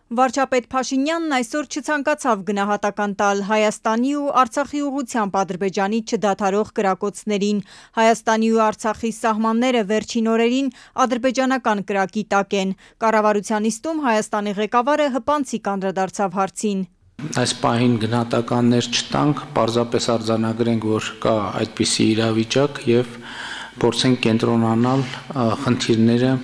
Վարչապետ Փաշինյանն այսօր չցանկացավ գնահատական տալ Հայաստանի ու Արցախի ուղղությամբ Ադրբեջանի չդադարող կրակոցներին։ Հայաստանի ու Արցախի սահմանները վերջին օրերին ադրբեջանական կրակի տակ են։ Կառավարության նիստում Հայաստանի ղեկավարը հպանցիկ անդրադարձավ հարցին։ Այս պահին գնահատականներ չտանք, պարզապես արձանագրենք, որ կա այդպիսի իրավիճակ եւ փորձենք կենտրոնանալ խնդիրները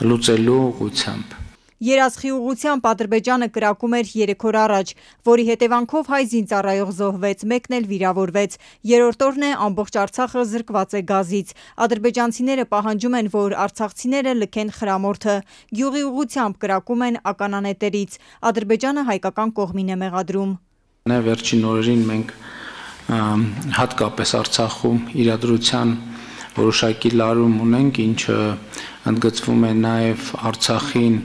լուծելու ուղղությամբ։ Երազխի ուղղությամբ Ադրբեջանը կրակում էր 3 օր առաջ, որի հետևանքով հայ զինծառայող զոհվեց, մեկն էլ վիրավորվեց։ Երրորդ օրն է ամբողջ Արցախը զրկված է գազից։ Ադրբեջանցիները պահանջում են, որ արցախցիները լքեն խրամորդը։ Գյուղի ուղղությամբ կրակում են ականանետերից։ Ադրբեջանը հայկական կողմին է մեղադրում։ Վերջին օրերին մենք հատկապես Արցախում իրադրության որոշակի լարում ունենք, ինչը ընդգծվում է նաև Արցախին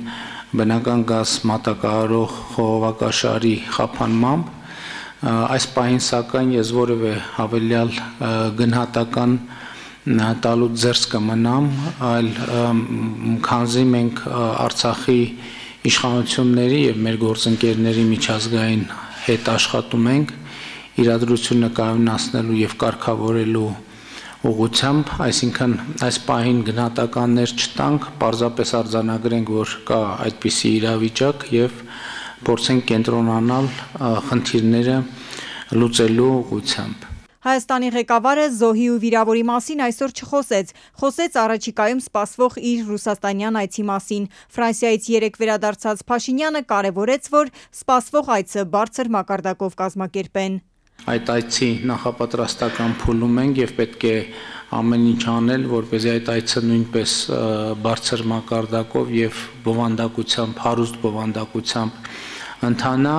բնական գազ մատակարարող խողովակաշարի խափանմամբ։ Այս պահին սակայն ես որևէ հավելյալ գնահատական տալու ձեռս կմնամ, այլ քանզի մենք Արցախի իշխանությունների եւ մեր գործընկերների միջազգային հետ աշխատում ենք իրադրությունը կայունացնելու եւ կարգավորելու ուղղությամբ, այսինքն այս պահին գնահատականներ չտանք, պարզապես արձանագրենք, որ կա այդպիսի իրավիճակ եւ փորձենք կենտրոնանալ խնդիրները լուծելու ուղղությամբ։ Հայաստանի ղեկավարը զոհի ու վիրավորի մասին այսօր չխոսեց, խոսեց առաջիկայում սպասվող իր ռուսաստանյան այցի մասին։ Ֆրանսիայից երեկ վերադարձած Փաշինյանը կարևորեց, որ սպասվող այցը բարձր մակարդակով կազմակերպեն։ Այդ այցի նախապատրաստական փուլում ենք եւ պետք է ամեն ինչ անել, որպեսզի այդ այցը նույնպես բարձր մակարդակով եւ բովանդակությամբ, հարուստ բովանդակությամբ ընթանա։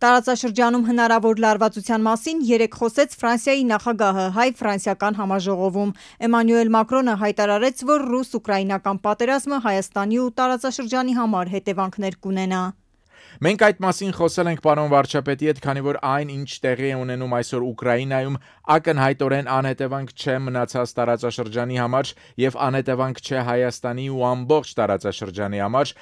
Տարածաշրջանում հնարավոր լարվածության մասին երեկ խոսեց Ֆրանսիայի նախագահը հայ-ֆրանսիական համաժողովում։ Էմանուել Մակրոնը հայտարարեց, որ ռուս-ուկրաինական պատերազմը Հայաստանի ու տարածաշրջանի համար հետևանքներ կունենա։ Մենք այդ մասին խոսել ենք պարոն վարչապետի հետ, քանի որ այն, ինչ տեղի է ունենում այսօր Ուկրաինայում, ակնհայտորեն անհետևանք չէ մնացած տարածաշրջանի համար եւ անհետևանք չէ Հայաստանի ու ամբողջ տարածաշրջանի համար,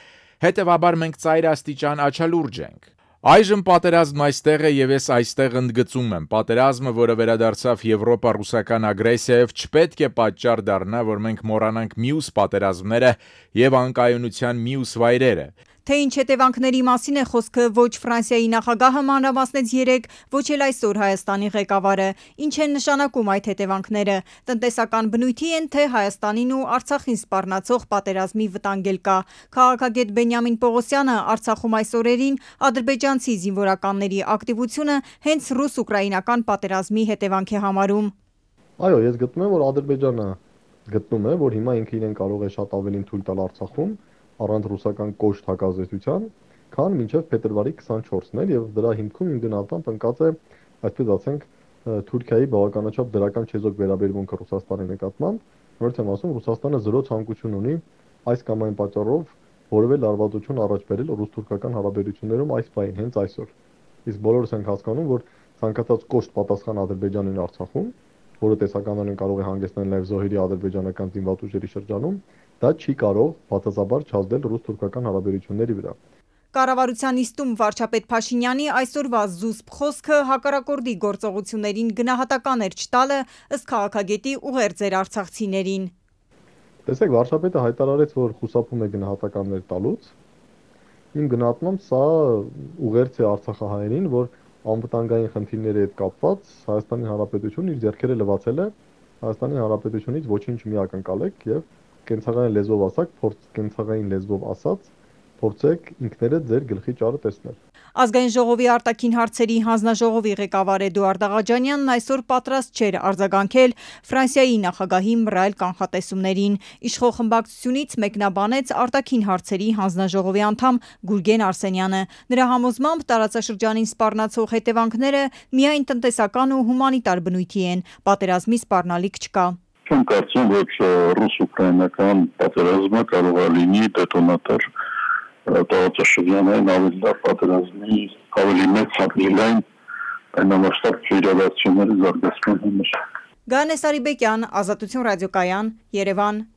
հետեւաբար մենք ծայրաստիճան աչալուրջ ենք։ Այժմ պատերազմն այստեղ է եւ ես այստեղ ընդգծում եմ, պատերազմը, որը վերադարձավ եվրոպա-ռուսական ագրեսիայով, չպետք է պատճառ դառնա, որ մենք մոռանանք մյուս պատերազմները եւ անկայունության մյուս վայրերը։ Թե ինչ հետևանքների մասին է խոսքը, ոչ Ֆրանսիայի նախագահը մանրամասնեց երեկ, ոչ էլ այսօր Հայաստանի ղեկավարը։ Ինչ են նշանակում այդ հետևանքները։ Տնտեսական բնույթի են, թե Հայաստանին ու Արցախին սպառնացող պատերազմի վտանգել կա։ Քաղաքագետ Բենյամին Պողոսյանը Արցախում այս օրերին ադրբեջանցի զինվորականների ակտիվությունը հենց ռուս-ուկրաինական պատերազմի հետևանք է համարում։ Այո, ես գտնում եմ, որ Ադրբեջանը գտնում է, որ հիմա ինքը իրեն կարող է շատ ավելին թույլ տալ Արցախում առանց ռուսական կոշտ հակազդեցության, քան մինչև փետրվարի 24-ն էր եւ դրա հիմքում իմ գնահատմամբ ընկած է, այսպես ասենք, Թուրքիայի բավականաչափ դրական չեզոք վերաբերմունքը Ռուսաստանի նկատմամբ, որից եմ ասում, Ռուսաստանը զրո ցանկություն ունի այս կամ այն պատճառով որևէ լարվածություն առաջ բերել ռուս-թուրքական հարաբերություններում այս պահին, հենց այսօր։ Իսկ բոլորս ենք հասկանում, որ ցանկացած կոշտ պատասխան Ադրբեջանին Արցախում, որը տեսականորեն կարող է հանգեցնել նաև զոհերի ադրբեջանական զինված ուժերի շրջանում, դա չի կարող բացասաբար չազդել ռուս-թուրքական հարաբերությունների վրա։ Կառավարության նիստում վարչապետ Փաշինյանի այսօրվա զուսպ խոսքը հակառակորդի գործողություններին գնահատական էր չտալը, ըստ քաղաքագետի ուղերձ էր արցախցիներին։ Տեսեք, վարչապետը հայտարարեց, որ խուսափում է գնահատականներ տալուց։ Իմ գնահատմամբ սա ուղերձ է արցախահայերին, որ անվտանգային խնդիրների հետ կապված Հայաստանի Հանրապետությունը իր ձեռքերը լվացել է, Հայաստանի Հանրապետությունից ոչինչ մի ակնկալեք եւ կենցաղային լեզվով ասած, կենցաղային լեզվով ասած, փորձեք ինքներդ ձեր գլխի ճարը տեսնել։ Ազգային ժողովի արտաքին հարցերի հանձնաժողովի ղեկավար Էդուարդ Աղաջանյանն այսօր պատրաստ չէր արձագանքել Ֆրանսիայի նախագահի մռայլ կանխատեսումներին։ Իշխող խմբակցությունից մեկնաբանեց արտաքին հարցերի հանձնաժողովի անդամ Գուրգեն Արսենյանը։ Նրա համոզմամբ տարածաշրջանին սպառնացող հետևանքները միայն տնտեսական ու հումանիտար բնույթի են, պատերազմի սպառնալիք չկա։ Չեմ կարծում, որ ռուս-ուկրաինական պատերազմը կարող է լինի դետոնատոր տարածաշրջանային ավելի լավ պատերազմի ավելի մեծ հատլիլային այնամասշտաբ իրադարձությունների զարգացման համար։ Գայանե Սարիբեկյան, Ազատություն ռադիոկայան, Երևան։